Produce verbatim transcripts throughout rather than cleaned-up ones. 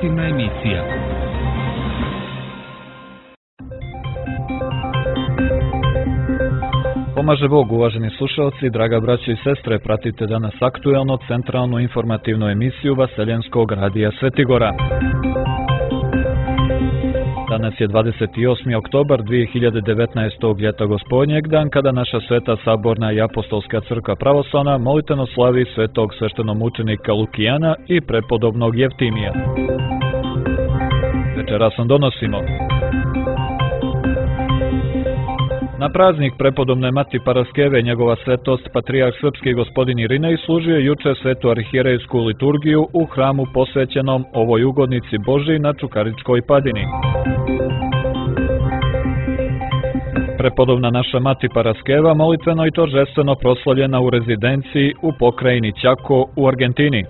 Informativna emisija. Pomaže Bog, uvaženi slušalci, draga braćo i sestre, pratite danas aktuelno centralnu informativnu emisiju Vaseljenskog radija Svetigora. Danas je dvadeset osmi oktobar dvije hiljade devetnaestog. ljeta gospodnjeg, dan kada naša sveta saborna i apostolska crkva pravoslavna molitveno slavi svetog sveštenomučenika Lukijana i prepodobnog Jeftimija. Večeras vam donosimo: na praznik prepodobne Mati Paraskeve njegova svetost patrijarh srpski gospodin Irinej služio juče svetu arhijerejsku liturgiju u hramu posvećenom ovoj ugodnici Božji na Čukaričkoj padini. Prepodobna naša Mati Paraskeva molitveno i торжествено proslavljena u rezidenciji u pokrajini Ćako u Argentini.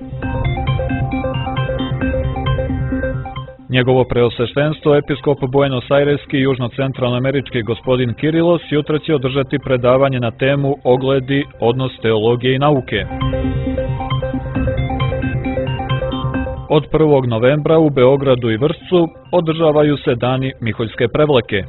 Njegovo preosveštenstvo, episkop Buenos Aireski i južno-centralnoamerički gospodin Kirilos jutra će održati predavanje na temu Ogledi, odnos teologije i nauke. Od prvog novembra u Beogradu i Vršcu održavaju se dani Miholjske prevleke.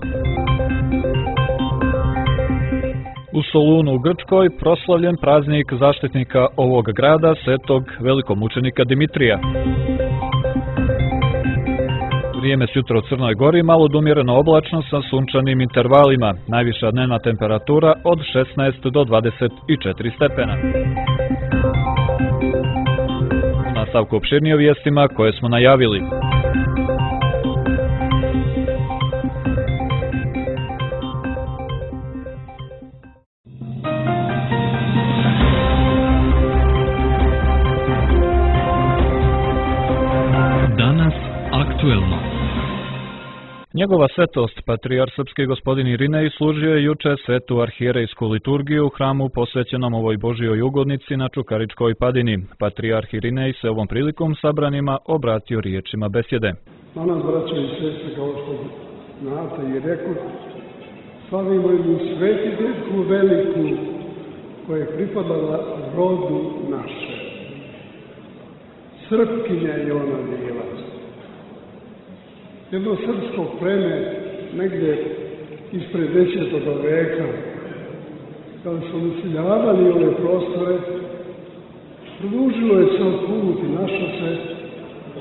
U Solunu u Grčkoj proslavljen praznik zaštitnika ovog grada, svetog velikomučenika Dimitrija. Vrijeme s jutra u Crnoj Gori malo odumjereno oblačno sa sunčanim intervalima, najviša dnevna temperatura od šesnaest do dvadeset četiri stepena. U nastavku opširnije o vijestima koje smo najavili. Danas aktuelno. Njegova svetost, patrijarh srpski gospodin Irinej, služio je juče svetu arhijerejsku liturgiju u hramu posvećenom ovoj Božjoj ugodnici na Čukaričkoj padini. Patrijarh Irinej se ovom prilikom sabranima obratio riječima besjede. Danas, braćo i sestre, kao što znate i reku, slavimo jednu svetiteljku veliku koja je pripadala rodu naše. Srpkinja je ona bila. Jedno srpsko pleme, negdje ispred desetog veka, kada su naseljavali ove prostore, produžilo je sam put i našlo se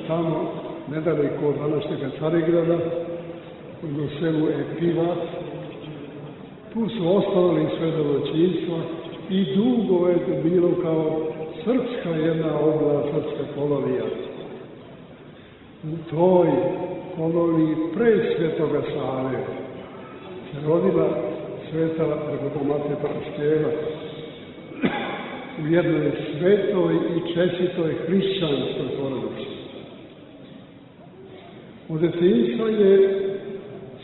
tamo, nedaleko od današnjega Carigrada, u selu Epivat. Tu su ostavili sve domaćinstva i dugo je to bilo kao srpska jedna oblast, srpska kolonija. U toj koloniji pre Svetoga Save se rodila sveta Prepodobna Paraskeva u jednoj svetoj i čestitoj hrišćanskoj porodici. Od detinjstva je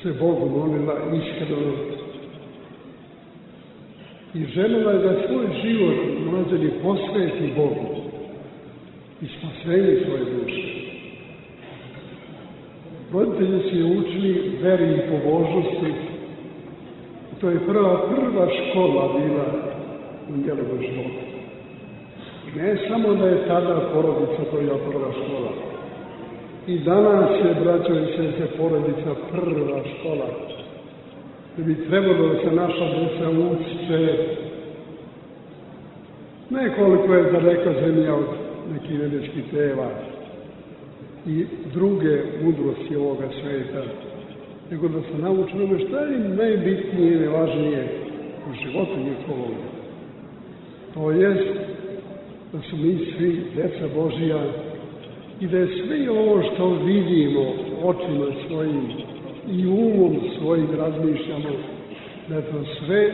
se Bogu molila iskreno i željela je da svoj život mlađeni posveti Bogu i spasenje svoje duše. Roditelji su je učili veri i pobožnosti. To je prva, prva škola bila u njenom životu. Ne samo da je tada porodica to je prva škola. I danas je, braćo i sestre, porodica prva škola. Da bi trebalo da se naša djeca uče. Nekoliko je daleka zemlja od nekih nebeskih tela i druge mudrosti ovoga sveta, nego da se nauče ono što je najbitnije i najvažnije u životu njihovom. To jest da su mi svi djeca Božija i da je sve ovo što vidimo očima svojim i umom svojim razmišljamo, da je to sve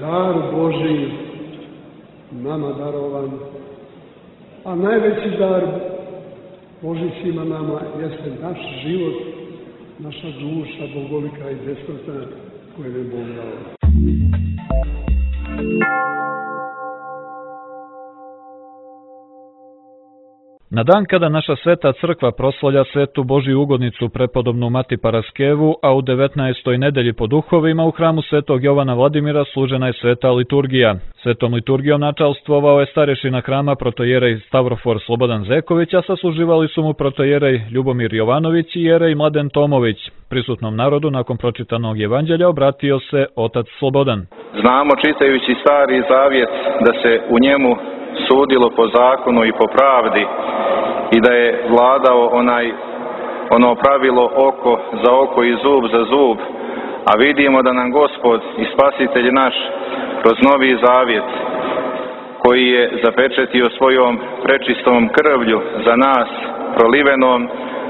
dar Božiji nama darovan, a najveći dar Boži svima nama jeste naš život, naša duša bogolika i besmrtna koju je Bog dao. Na dan kada naša sveta crkva proslavlja svetu Božju ugodnicu prepodobnu Mati Paraskevu, a u devetnaestoj nedelji po duhovima u hramu svetog Jovana Vladimira služena je sveta liturgija. Svetom liturgijom načalstvovao je starešina hrama protojerej Stavrofor Slobodan Zeković, a sasluživali su mu protojerej Ljubomir Jovanović i jerej Mladen Tomović. Prisutnom narodu nakon pročitanog evanđelja obratio se otac Slobodan. Znamo čitajući Stari Zavjet da se u njemu sudilo po zakonu i po pravdi i da je vladao onaj, ono pravilo oko za oko i zub za zub, a vidimo da nam Gospod i Spasitelj naš kroz Novi Zavjet, koji je zapečetio svojom prečistom krvlju za nas prolivenom,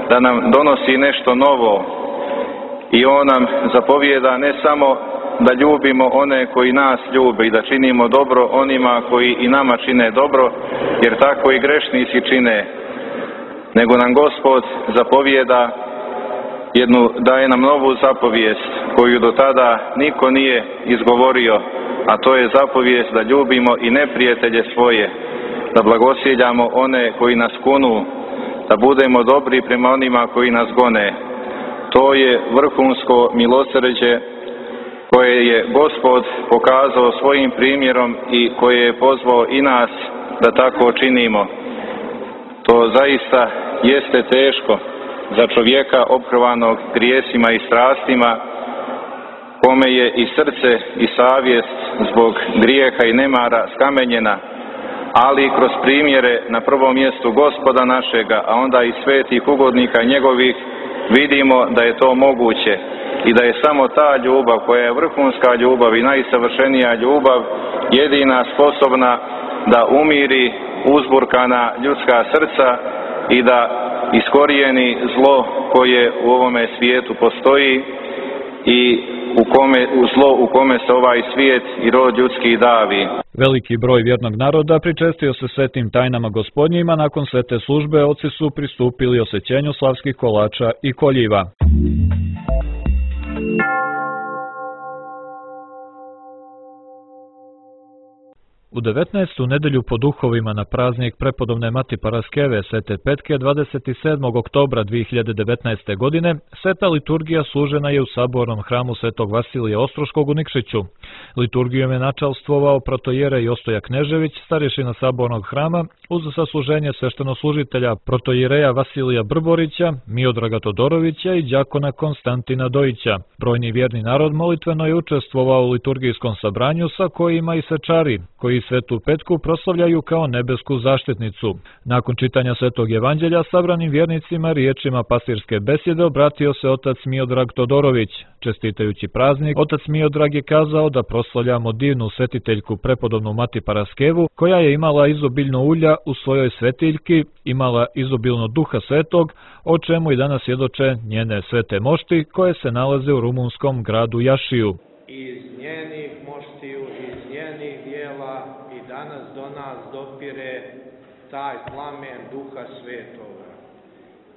da nam donosi nešto novo i on nam zapovijeda ne samo da ljubimo one koji nas ljube i da činimo dobro onima koji i nama čine dobro, jer tako i grešnici čine, nego nam Gospod zapovijeda jednu, daje nam novu zapovijest koju do tada niko nije izgovorio, a to je zapovijest da ljubimo i neprijatelje svoje, da blagosiljamo one koji nas kunu, da budemo dobri prema onima koji nas gone. To je vrhunsko milosrđe koje je Gospod pokazao svojim primjerom i koje je pozvao i nas da tako činimo. To zaista jeste teško za čovjeka ophrvanog grijesima i strastima, kome je i srce i savjest zbog grijeha i nemara skamenjena, ali kroz primjere na prvom mjestu Gospoda našega, a onda i svetih ugodnika njegovih, vidimo da je to moguće i da je samo ta ljubav koja je vrhunska ljubav i najsavršenija ljubav jedina sposobna da umiri uzburkana ljudska srca i da iskorijeni zlo koje u ovome svijetu postoji i u kome, u zlo u kome se ovaj svijet i rod ljudski davi. Veliki broj vjernog naroda pričestio se svetim tajnama gospodnjima, nakon svete službe oci su pristupili osjećenju slavskih kolača i koljiva. U devetnaestu nedelju po duhovima na praznik prepodobne Mati Paraskeve Svete Petke dvadeset sedmog oktobra dvije hiljade devetnaeste. godine sveta liturgija služena je u sabornom hramu Svetog Vasilija Ostroškog u Nikšiću. Liturgijom je načalstvovao protojerej Ostoja Knežević, starješina sabornog hrama, uz sasluženje sveštenoslužitelja protojereja Vasilija Brborića, Miodraga Todorovića i đakona Konstantina Dojića. Brojni vjerni narod molitveno je učestvovao u liturgijskom sabranju, sa kojima i svečari, koji Svetu Petku proslavljaju kao nebesku zaštitnicu. Nakon čitanja Svetog evanđelja sabranim vjernicima riječima pastirske besjede obratio se otac Miodrag Todorović. Čestitajući praznik, otac Miodrag je kazao da proslavljamo divnu svetiteljku prepodobnu Mati Paraskevu, koja je imala izobiljno ulja u svojoj svetiljki, imala izobilno duha svetog, o čemu i danas svjedoče njene svete mošti koje se nalaze u rumunskom gradu Jašiju. Iz njenih moštiju, iz njenih dijela i danas do nas dopire taj plamen duha svetoga.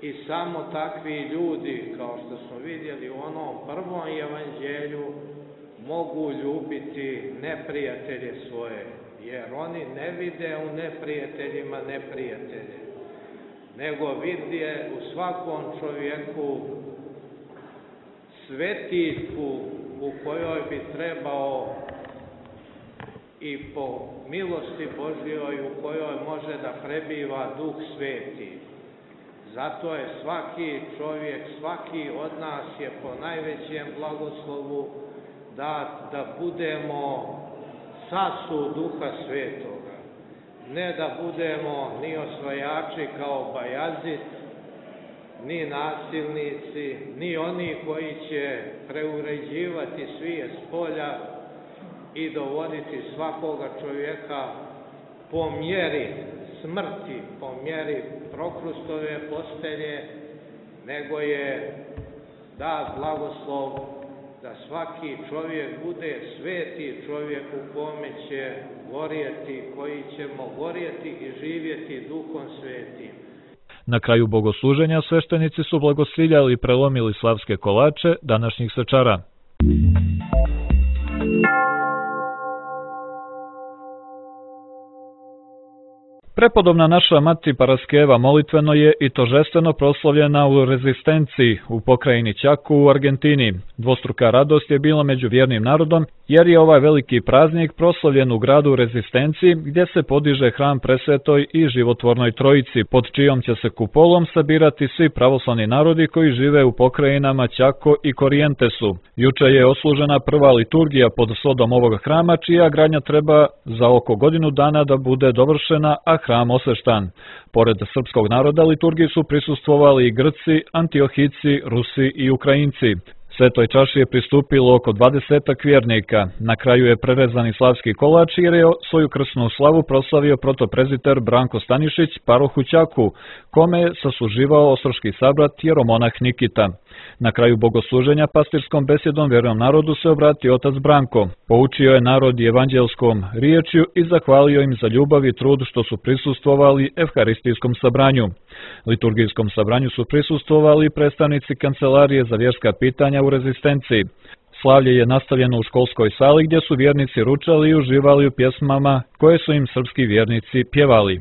I samo takvi ljudi, kao što smo vidjeli u onom prvom evanđelju, mogu ljubiti neprijatelje svoje, jer oni ne vide u neprijateljima neprijatelje, nego vide u svakom čovjeku svetiljku u kojoj bi trebao i po milosti Božjoj u kojoj može da prebiva Duh Sveti. Zato je svaki čovjek, svaki od nas je po najvećem blagoslovu da, da budemo sasu Duha Svetoga. Ne da budemo ni osvajači kao Bajazid, ni nasilnici, ni oni koji će preuređivati svijet s polja i dovoditi svakoga čovjeka po mjeri smrti, po mjeri prokrustove postelje, nego je dat blagoslov da svaki čovjek bude sveti čovjek u kome će gorjeti, koji ćemo gorjeti i živjeti Duhom Svetim. Na kraju bogosluženja sveštenici su blagosiljali i prelomili slavske kolače današnjih svečara. Prepodobna naša mati Paraskeva molitveno je i tožestveno proslavljena u Rezistenciji u pokrajini Ćaku u Argentini. Dvostruka radost je bila među vjernim narodom jer je ovaj veliki praznik proslavljen u gradu Rezistenciji gdje se podiže hram Presvetoj i Životvornoj Trojici, pod čijom će se kupolom sabirati svi pravoslavni narodi koji žive u pokrajinama Ćako i Korijentesu. Juče je oslužena prva liturgija pod svodom ovog hrama, čija gradnja treba za oko godinu dana da bude dovršena, a hram osveštan. Pored srpskog naroda liturgiji su prisustvovali i Grci, Antiohici, Rusi i Ukrajinci. Svetoj čaši je pristupilo oko dvadesetak vjernika. Na kraju je prerezani slavski kolač jer je svoju krsnu slavu proslavio protoprezbiter Branko Stanišić, paroh u Ćaku, kome je sasluživao ostroški sabrat jeromonah Nikita. Na kraju bogosluženja pastirskom besjedom vjernom narodu se obratio otac Branko. Poučio je narod evanđelskom riječju i zahvalio im za ljubav i trud što su prisustvovali evharistijskom sabranju. Liturgijskom sabranju su prisustvovali predstavnici Kancelarije za vjerska pitanja u Rezistenciji. Slavlje je nastavljeno u školskoj sali gdje su vjernici ručali i uživali u pjesmama koje su im srpski vjernici pjevali.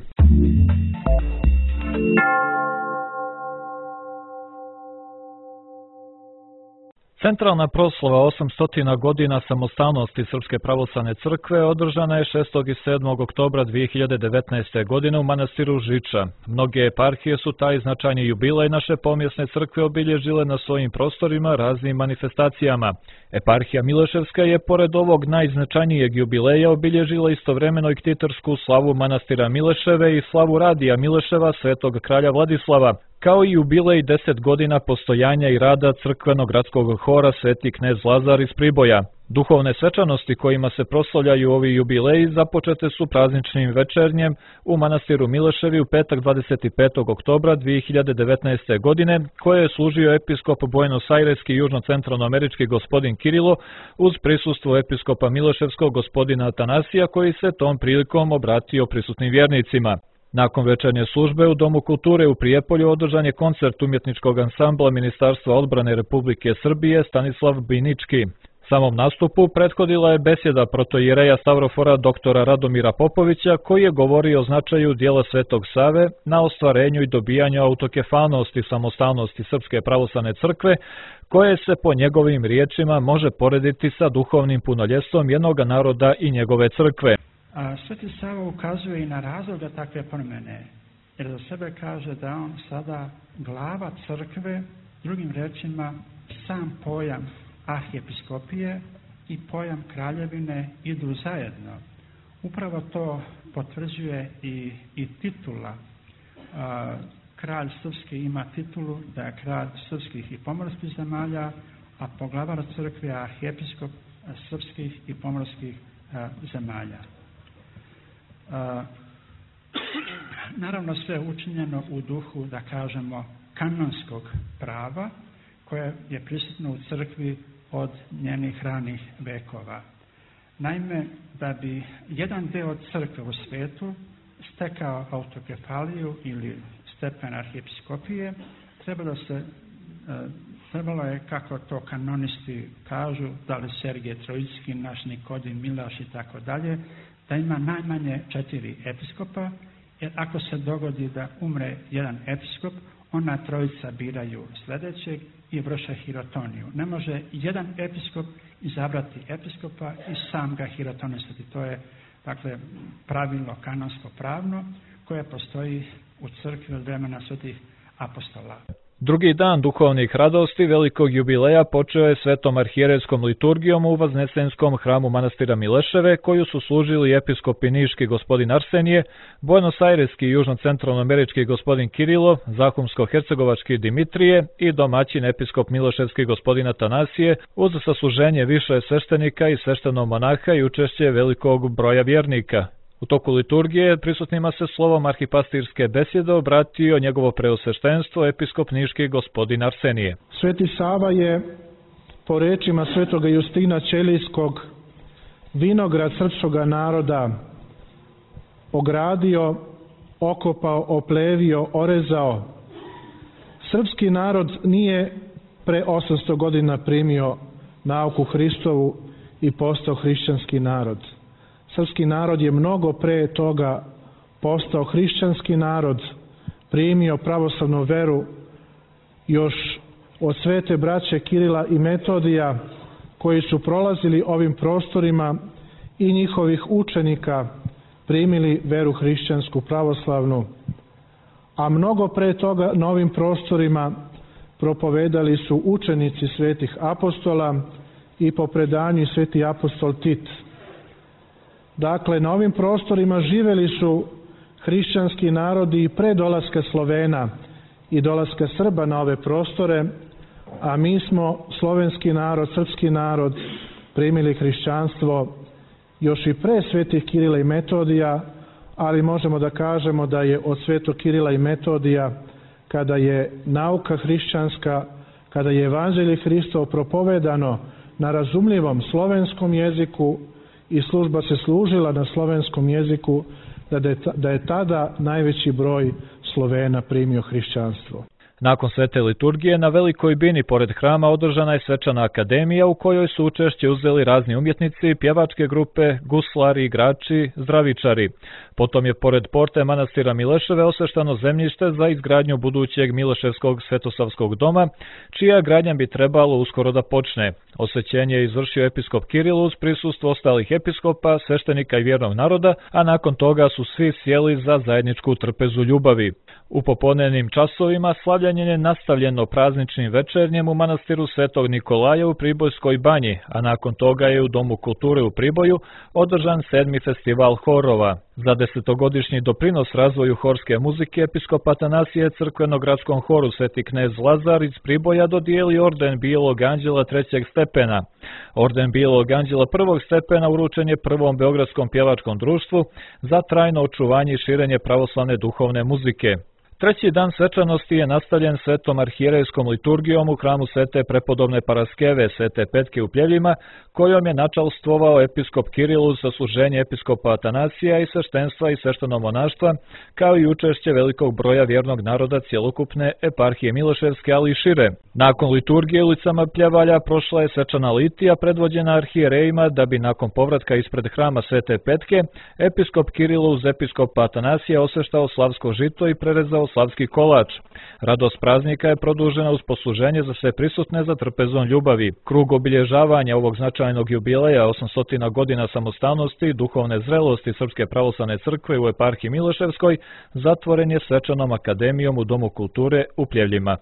Centralna proslava osamstotina godina samostalnosti Srpske pravoslavne crkve održana je šestog i sedmog oktobra dvije hiljade devetnaeste. godine u manastiru Žiča. Mnoge eparhije su taj značajni jubilej naše pomjesne crkve obilježile na svojim prostorima raznim manifestacijama. Eparhija Mileševska je pored ovog najznačajnijeg jubileja obilježila istovremeno i ktitorsku slavu manastira Mileševe i slavu radija Mileševa Svetog kralja Vladislava, kao i jubilej deset godina postojanja i rada crkvenog gradskog hora Sveti knez Lazar iz Priboja. Duhovne svečanosti kojima se proslavljaju ovi jubileji započete su prazničnim večernjem u manastiru Mileševi u petak dvadeset petog oktobra dvije hiljade devetnaeste. godine, koje je služio episkop Buenos Aireski južno-centralnoamerički gospodin Kirilo uz prisustvo episkopa Mileševskog gospodina Atanasija, koji se tom prilikom obratio prisutnim vjernicima. Nakon večernje službe u Domu kulture u Prijepolju održan je koncert umjetničkog ansambla Ministarstva odbrane Republike Srbije Stanislav Binički. Samom nastupu prethodila je besjeda protoijereja Stavrofora doktora Radomira Popovića, koji je govorio o značaju dijela Svetog Save na ostvarenju i dobijanju autokefalnosti i samostalnosti Srpske pravoslavne crkve, koje se po njegovim riječima može porediti sa duhovnim punoljestvom jednoga naroda i njegove crkve. A Sveti Sava ukazuje i na razloga takve promjene, jer za sebe kaže da on sada glava crkve, drugim rečima sam pojam arhiepiskopije i pojam kraljevine idu zajedno. Upravo to potvrđuje i, i titula. A, kralj srpski ima titulu da je kralj srpskih i pomorskih zemalja, a poglavar crkve je arhiepiskop srpskih i pomorskih a, zemalja. Uh, naravno sve učinjeno u duhu, da kažemo, kanonskog prava koje je prisutno u crkvi od njenih ranih vekova. Naime, da bi jedan deo crkve u svijetu stekao autokefaliju ili stepen arhiepiskopije, trebalo, se, uh, trebalo je, kako to kanonisti kažu, da li Sergije Trojicki, naš Nikodim Milaš i tako dalje, da ima najmanje četiri episkopa, jer ako se dogodi da umre jedan episkop, ona trojica biraju sljedećeg i vrše hirotoniju. Ne može jedan episkop izabrati episkopa i sam ga hirotonisati. To je, dakle, pravilo kanonsko pravno koje postoji u crkvi od vremena svetih apostola. Drugi dan duhovnih radosti velikog jubileja počeo je svetom arhijerejskom liturgijom u Vaznesenskom hramu manastira Mileševe, koju su služili episkopi niški gospodin Arsenije, Buenos Aireski južno-centralnoamerički gospodin Kirilo, Zahumsko-hercegovački Dimitrije i domaćin episkop Mileševski gospodin Atanasije, uz sasluženje više sveštenika i sveštenog monaha i učešće velikog broja vjernika. U toku liturgije prisutnima se slovom arhipastirske besjede obratio njegovo preosveštenstvo episkop niški gospodin Arsenije. Sveti Sava je, po rečima svetoga Justina Ćelijskog, vinograd srpskoga naroda ogradio, okopao, oplevio, orezao. Srpski narod nije pre osamsto godina primio nauku Hristovu i postao hrišćanski narod. Srpski narod je mnogo pre toga postao hrišćanski narod, primio pravoslavnu veru još od svete braće Kirila i Metodija, koji su prolazili ovim prostorima, i njihovih učenika primili veru hrišćansku pravoslavnu, a mnogo pre toga na ovim prostorima propovedali su učenici svetih apostola i po predanju sveti apostol Tit. Dakle, na ovim prostorima živeli su hrišćanski narodi i pre dolaska Slovena i dolaska Srba na ove prostore, a mi smo slovenski narod, srpski narod, primili hrišćanstvo još i pre svetih Kirila i Metodija, ali možemo da kažemo da je od svetog Kirila i Metodija, kada je nauka hrišćanska, kada je evanđelje Hristov propovedano na razumljivom slovenskom jeziku i služba se služila na slovenskom jeziku, da je tada najveći broj Slovena primio hrišćanstvo. Nakon svete liturgije na Velikoj bini pored hrama održana je svečana akademija u kojoj su učešće uzeli razni umjetnici, pjevačke grupe, guslari, igrači, zdravičari. Potom je pored porte manastira Mileševe osveštano zemljište za izgradnju budućeg Mileševskog svetosavskog doma, čija gradnja bi trebalo uskoro da počne. Osvećenje je izvršio episkop Kiril uz prisustvo ostalih episkopa, sveštenika i vjernog naroda, a nakon toga su svi sjeli za zajedničku trpezu ljubavi. U popodnevnim časovima slavljenje je nastavljeno prazničnim večernjem u manastiru Svetog Nikolaja u Pribojskoj banji, a nakon toga je u Domu kulture u Priboju održan sedmi festival horova. Za desetogodišnji doprinos razvoju horske muzike episkop Atanasije crkveno-gradskom horu Sveti knez Lazar iz Priboja dodijeli orden Bijelog anđela trećeg stepena. Orden Bijelog anđela prvog stepena uručen je prvom beogradskom pjevačkom društvu za trajno očuvanje i širenje pravoslavne duhovne muzike. Treći dan svečanosti je nastavljen svetom arhijerejskom liturgijom u hramu Svete prepodobne Paraskeve Svete Petke u Pljevljima, kojom je načalstvovao episkop Kiril uz sasluženje episkopa Atanasija i sveštenstva i svešteno monaštva, kao i učešće velikog broja vjernog naroda cjelokupne eparhije Mileševske, ali i šire. Nakon liturgije ulicama Pljevalja prošla je svečana litija predvođena arhijerejima, da bi nakon povratka ispred hrama Svete Petke episkop Kiril uz episkopa Atanasija osveštao slavsko žito i prerezao slavski kolač. Radost praznika je produžena uz posluženje za sve prisutne za trpezom ljubavi. Krug obilježavanja ovog značajnog jubileja osamsto godina samostalnosti i duhovne zrelosti Srpske pravoslavne crkve u eparhiji Mileševskoj zatvoren je svečanom akademijom u Domu kulture u Pljevljima.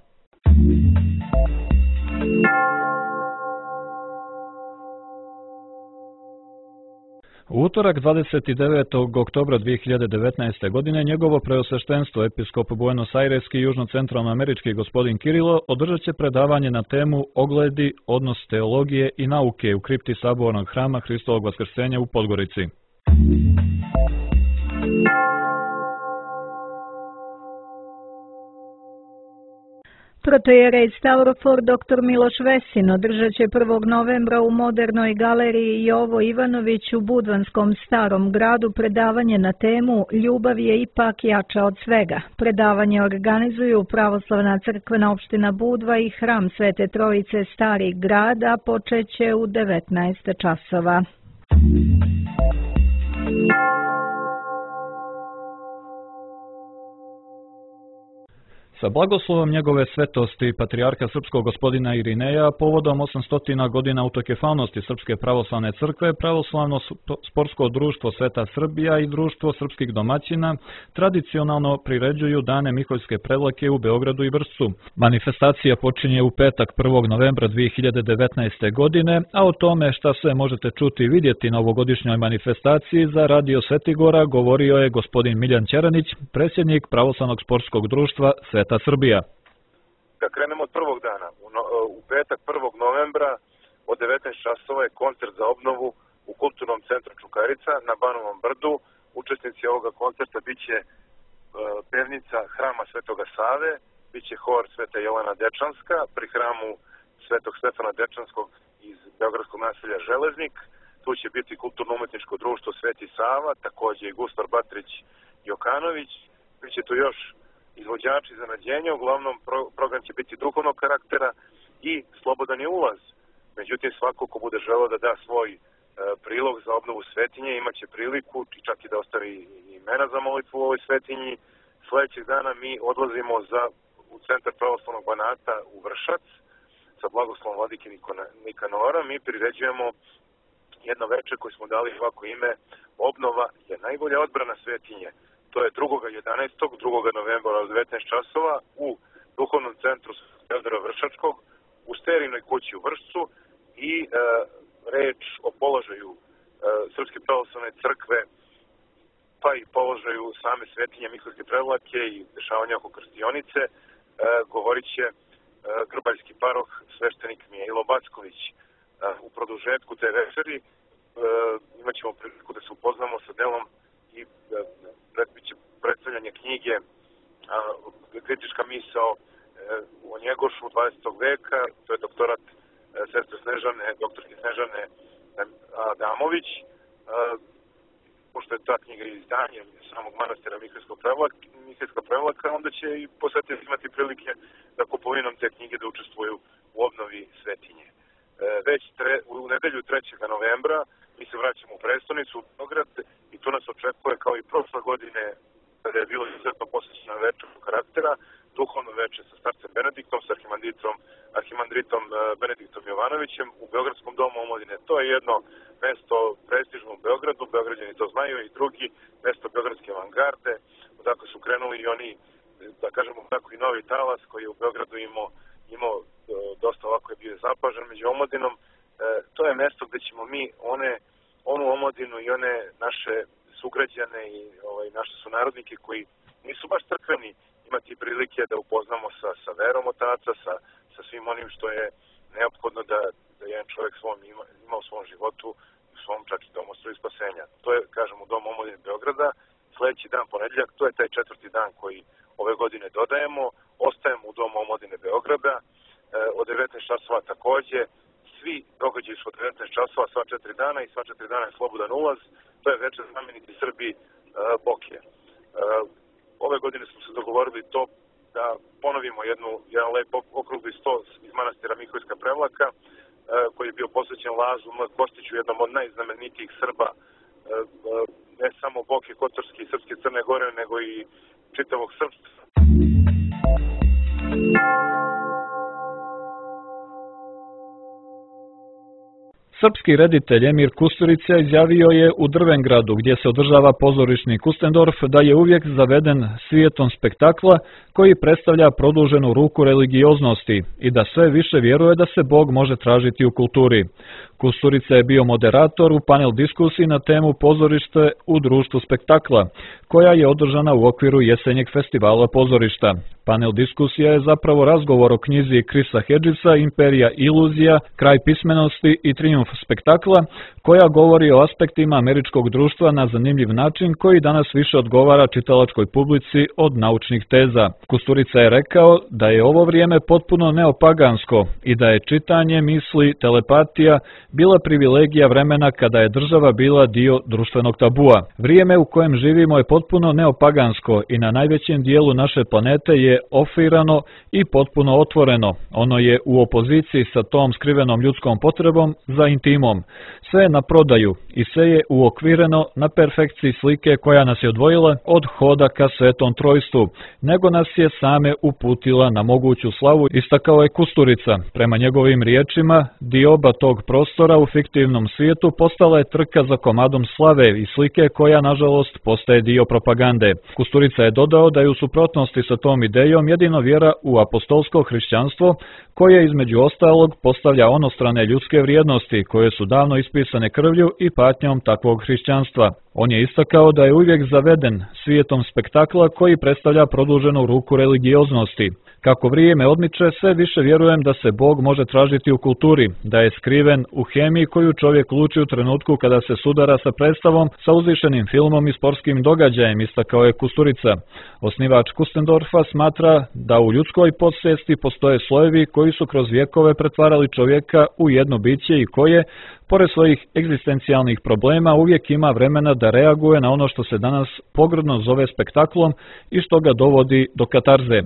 U utorak dvadeset devetog oktobra dvije hiljade devetnaeste. godine njegovo preosveštenstvo episkop Buenos Aireski i južno-centralnoamerički gospodin Kirilo održat će predavanje na temu Ogledi, odnos teologije i nauke u kripti sabornog hrama Hristovog vaskrsenja u Podgorici. Protojerej Stavrofor doktor Miloš Vesin održat će prvog novembra u Modernoj galeriji Jovo Ivanović u Budvanskom Starom gradu predavanje na temu Ljubav je ipak jača od svega. Predavanje organizuju Pravoslavna crkvena opština Budva i hram Svete Trojice Stari grad, a počeće u devetnaest časova. Sa blagoslovom njegove svetosti patrijarha srpskog gospodina Irineja povodom osamsto godina autokefalnosti Srpske pravoslavne crkve, Pravoslavno sportsko društvo Sveta Srbija i Društvo srpskih domaćina tradicionalno priređuju dane Miholjske predlake u Beogradu i Vršcu. Manifestacija počinje u petak prvog novembra dvije hiljade devetnaeste. godine, a o tome šta sve možete čuti i vidjeti na ovogodišnjoj manifestaciji za Radio Svetigora govorio je gospodin Miljan Ćeranić, predsjednik Pravoslavnog sportskog društva Sveta Srbija. Da krenemo od prvog dana. U, no, u petak prvog novembra od devetnaest časova je koncert za obnovu u Kulturnom centru Čukarica na Banovom brdu. Učesnici ovoga koncerta biće e, pevnica hrama Svetoga Save, biće hor Sveta Jelena Dečanska pri hramu Svetog Stefana Dečanskog iz beogradskog naselja Železnik. Tu će biti kulturno-umetničko društvo Sveti Sava, takođe i Gustar Batrić Jokanović. Biće tu još izvođači za nađenje, uglavnom pro, program će biti duhovnog karaktera i slobodan je ulaz. Međutim, svako ko bude želeo da da svoj e, prilog za obnovu svetinje imaće priliku čak i da ostavi i imena za molitvu u ovoj svetinji. Sljedećeg dana mi odlazimo za, u centar pravoslavnog Banata u Vršac sa blagoslovom vladike Nikanora. Mi priređujemo jedno večer koje smo dali ovako ime Obnova je najbolja odbrana svetinje. To je drugog jedanaestog drugog novembra od devetnaest časova u duhovnom centru Teodora Vršačkog u Sterijinoj kući u Vršcu i e, reč o položaju e, Srpske pravoslavne crkve pa i položaju same svetinje Mihajlovske Prevlake i dešavanja oko krstionice e, govorit će e, grbaljski paroh sveštenik Mijelo Backović. E, u produžetku te večeri e, imat ćemo priliku da se upoznamo sa delom i e, bit će predstavljanje knjige a, kritička misao e, o Njegošu dvadesetog veka, to je doktorat e, sestre Snežane, doktorke Snežane Adamović. E, pošto je ta knjiga izdanje samog manastira Mihajlovska Prevlaka, onda će i posjetitelji imati prilike da kupovinom te knjige da učestvuju u obnovi svetinje. E, već tre, u nedelju trećeg novembra mi se vraćamo u prestonicu, u Beograd, i tu nas očekuje kao i prošle godine, kada je bilo izuzetno posvećeno večernjeg karaktera, duhovno veče sa starcem Benediktom, sa arhimandritom, arhimandritom Benediktom Jovanovićem u Beogradskom domu omladine. To je jedno mesto prestižno u Beogradu, Beograđani to znaju, i drugi mesto beogradske avangarde, odakle su krenuli i oni, da kažemo tako, i novi talas koji je u Beogradu imao, imao dosta ovako je bio zapažen među omladinom. E, to je mesto gde ćemo mi one, onu omladinu i one naše sugrađane i ovaj, naše sunarodnike koji nisu baš crkveni imati prilike da upoznamo sa, sa verom otaca, sa, sa svim onim što je neophodno da, da jedan čovjek svom ima, ima u svom životu, u svom čak i domostru spasenja. To je, kažem, u Domu omladine Beograda. Sljedeći dan, ponedjeljak, to je taj četvrti dan koji ove godine dodajemo. Ostajemo u Domu omladine Beograda e, od devetnaest časova takođe. Svi događaji su od devetnaest časova sva četiri dana i sva četiri dana je slobodan ulaz. To je večer znameniti Srbi e, Bokije. E, ove godine smo se dogovorili to da ponovimo jednu, jedan lep okrugli sto iz manastira Mihajlovska Prevlaka, e, koji je bio posvećen Lazu Kostiću, jednom od najznamenitijih Srba, e, ne samo Boke, Kotorske i Srpske Crne Gore, nego i čitavog srpstva. Srpski reditelj Emir Kusturica izjavio je u Drvengradu, gdje se održava pozorišni Kustendorf, da je uvijek zaveden svijetom spektakla koji predstavlja produženu ruku religioznosti i da sve više vjeruje da se Bog može tražiti u kulturi. Kusturica je bio moderator u panel diskusiji na temu pozorište u društvu spektakla, koja je održana u okviru jesenjeg festivala pozorišta. Panel diskusija je zapravo razgovor o knjizi Krisa Hedžisa Imperija iluzija, kraj pismenosti i trijumf spektakla, koja govori o aspektima američkog društva na zanimljiv način koji danas više odgovara čitalačkoj publici od naučnih teza. Kusturica je rekao da je ovo vrijeme potpuno neopagansko i da je čitanje misli, telepatija bila privilegija vremena kada je država bila dio društvenog tabua. Vrijeme u kojem živimo je potpuno neopagansko i na najvećem dijelu naše planete je ofirano i potpuno otvoreno. Ono je u opoziciji sa tom skrivenom ljudskom potrebom za intimom. Sve je na prodaju i sve je uokvireno na perfekciji slike koja nas je odvojila od hoda ka Svetom Trojstvu, nego nas je same uputila na moguću slavu, istakao je Kusturica. Prema njegovim riječima, dioba tog prostora u fiktivnom svijetu postala je trka za komadom slave i slike koja, nažalost, postaje dio propagande. Kusturica je dodao da je u suprotnosti sa tom idejom jedino vjera u apostolsko hrišćanstvo, koje između ostalog postavlja onostrane ljudske vrijednosti koje su davno ispisane krvlju i patnjom takvog hrišćanstva. On je istakao da je uvijek zaveden svijetom spektakla koji predstavlja produženu ruku religioznosti. Kako vrijeme odmiče, sve više vjerujem da se Bog može tražiti u kulturi, da je skriven u hemiji koju čovjek luči u trenutku kada se sudara sa predstavom, sa uzvišenim filmom i sportskim događajem, istakao je Kusturica. Osnivač Kustendorfa smatra da u ljudskoj podsvijesti postoje slojevi koji su kroz vjekove pretvarali čovjeka u jedno biće i koje, Pored svojih egzistencijalnih problema, uvijek ima vremena da reaguje na ono što se danas pogrdno zove spektaklom i što ga dovodi do katarze.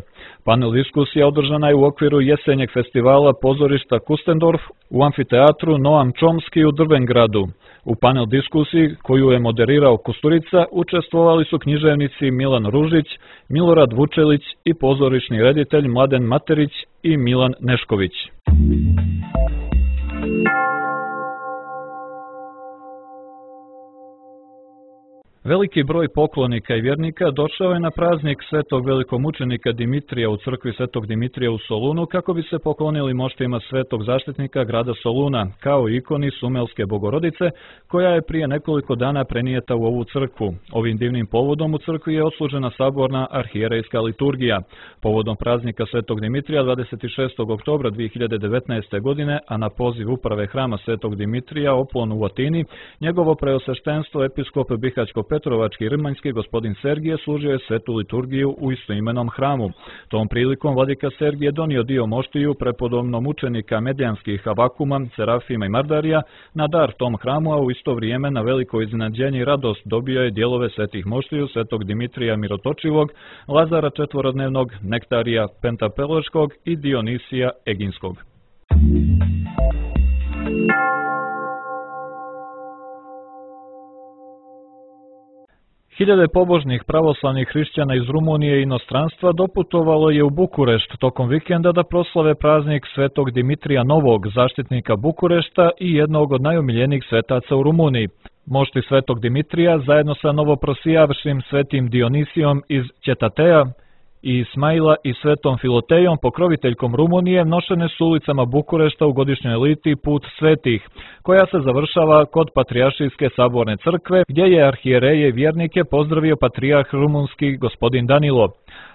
Panel diskusija održana je u okviru jesenjeg festivala pozorišta Kustendorf u amfiteatru Noam Chomsky u Drvengradu. U panel diskusiji, koju je moderirao Kusturica, učestvovali su književnici Milan Ružić, Milorad Vučelić i pozorišni reditelj Mladen Materić i Milan Nešković. Veliki broj poklonika i vjernika došao je na praznik svetog velikomučenika Dimitrija u crkvi svetog Dimitrija u Solunu kako bi se poklonili moštima svetog zaštitnika grada Soluna, kao ikoni Sumelske Bogorodice, koja je prije nekoliko dana prenijeta u ovu crkvu. Ovim divnim povodom u crkvi je odslužena saborna arhijerejska liturgija. Povodom praznika svetog Dimitrija dvadeset šestog oktobra dvije hiljade devetnaeste. godine, a na poziv uprave hrama svetog Dimitrija Oplon u Atini, njegovo preosveštenstvo episkop Bihaćko Petrovački i Rmanjski gospodin Sergije služio je svetu liturgiju u istoimenom hramu. Tom prilikom vladika Sergije donio dio moštiju prepodobnom učenika medijanskih Avakuma, Serafima i Mardarija na dar tom hramu, a u isto vrijeme na veliko iznenađenje i radost dobio je dijelove svetih moštiju svetog Dimitrija Mirotočivog, Lazara četvorodnevnog, Nektarija Pentapeloškog i Dionisija Eginskog. Hiljade pobožnih pravoslavnih hrišćana iz Rumunije i inostranstva doputovalo je u Bukurešt tokom vikenda da proslave praznik svetog Dimitrija Novog, zaštitnika Bukurešta i jednog od najomiljenijih svetaca u Rumuniji. Mošti svetog Dimitrija zajedno sa novoprosijavšim svetim Dionisijom iz Ćetateja i Ismaila i svetom Filotejom, pokroviteljkom Rumunije, nošene su ulicama Bukurešta u godišnjoj eliti Put svetih, koja se završava kod Patrijaršijske saborne crkve, gdje je arhijereje i vjernike pozdravio patrijarh rumunski gospodin Danilo.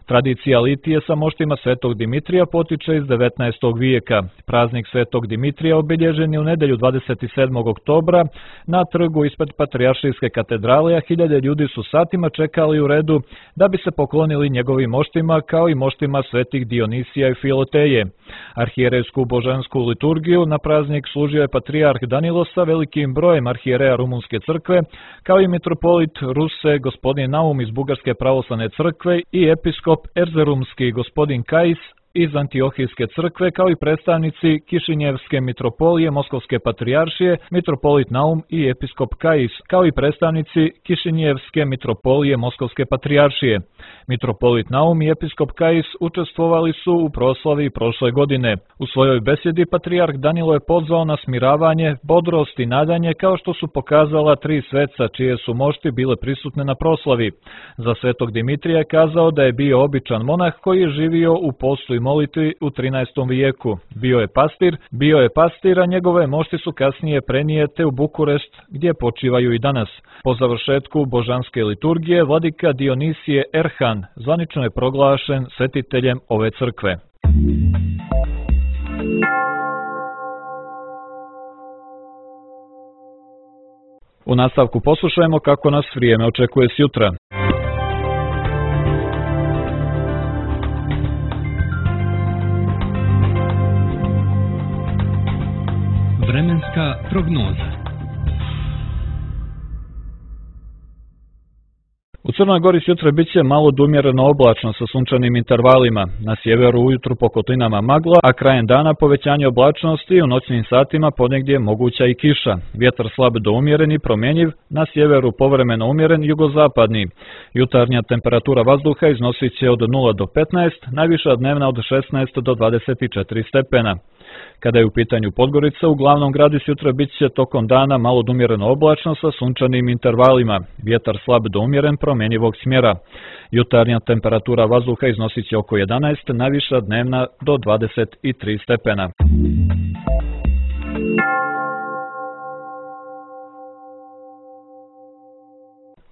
Tradicija litije sa moštima svetog Dimitrija potiče iz devetnaestog vijeka. Praznik svetog Dimitrija obilježen je u nedjelju dvadeset sedmog oktobra na trgu ispred Patrijaršijske katedrale, a hiljade ljudi su satima čekali u redu da bi se poklonili njegovim moštima kao i moštima svetih Dionisija i Filoteje. Arhijerejsku božansku liturgiju na praznik služio je patrijarh Danilo sa velikim brojem arhijereja Rumunske crkve, kao i mitropolit Ruse gospodin Naum iz Bugarske pravoslavne crkve i episkop Erzerumski gospodin Kajis iz Antiohijske crkve, kao i predstavnici Kišinjevske mitropolije Moskovske patrijaršije, mitropolit Naum i episkop Kajis, kao i predstavnici Kišinjevske mitropolije Moskovske patrijaršije. Mitropolit Naum i episkop Kajis učestvovali su u proslavi prošle godine. U svojoj besjedi patrijarh Danilo je pozvao na smiravanje, bodrost i nadanje, kao što su pokazala tri sveca čije su mošti bile prisutne na proslavi. Za svetog Dimitrija je kazao da je bio običan monah koji je živio u postu i molitvi u trinaestom vijeku. Bio je pastir, bio je pastir, a njegove mošti su kasnije prenijete u Bukurešt, gdje počivaju i danas. Po završetku božanske liturgije, vladika Dionisije Erhan zvanično je proglašen svetiteljem ove crkve. U nastavku poslušajmo kako nas vrijeme očekuje sjutra. Vremenska prognoza. U Crnoj Gori sutra bit će malo do umjereno oblačno sa sunčanim intervalima. Na sjeveru ujutru po kotlinama magla, a krajem dana povećanje oblačnosti, u noćnim satima ponegdje moguća i kiša. Vjetar slab do umjeren i promjenjiv, na sjeveru povremeno umjeren jugozapadni. Jutarnja temperatura vazduha iznosit će od nula do petnaest, najviša dnevna od šesnaest do dvadeset četiri stepena. Kada je u pitanju Podgorica, u glavnom gradu sutra bit će tokom dana malo do umjereno oblačno sa sunčanim intervalima. Vjetar slab do umjeren promjenjivog smjera. Jutarnja temperatura vazduha iznosit će oko jedanaest, najviša dnevna do dvadeset tri stepena.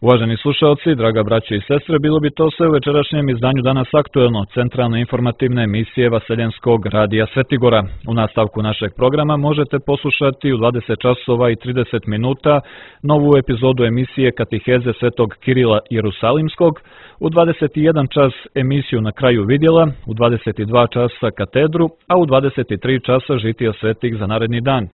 Uvaženi slušalci, draga braćo i sestre, bilo bi to sve u večerašnjem izdanju Danas aktuelno, centralne informativne emisije Vaseljenskog radija Svetigora. U nastavku našeg programa možete poslušati u dvadeset časova i trideset minuta novu epizodu emisije Katiheze Svetog Kirila Jerusalimskog, u dvadeset jedan čas emisiju Na kraju vidjela, u dvadeset dva časa katedru, a u dvadeset tri časa žitija svetih za naredni dan.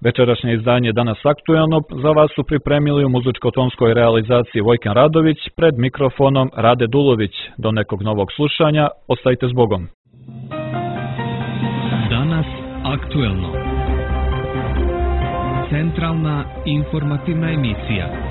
Večerašnje izdanje Danas aktuelno za vas su pripremili u muzičko-tonskoj realizaciji Vojkan Radović, pred mikrofonom Rade Dulović. Do nekog novog slušanja, ostajte s Bogom. Danas aktuelno. Centralna informativna emisija.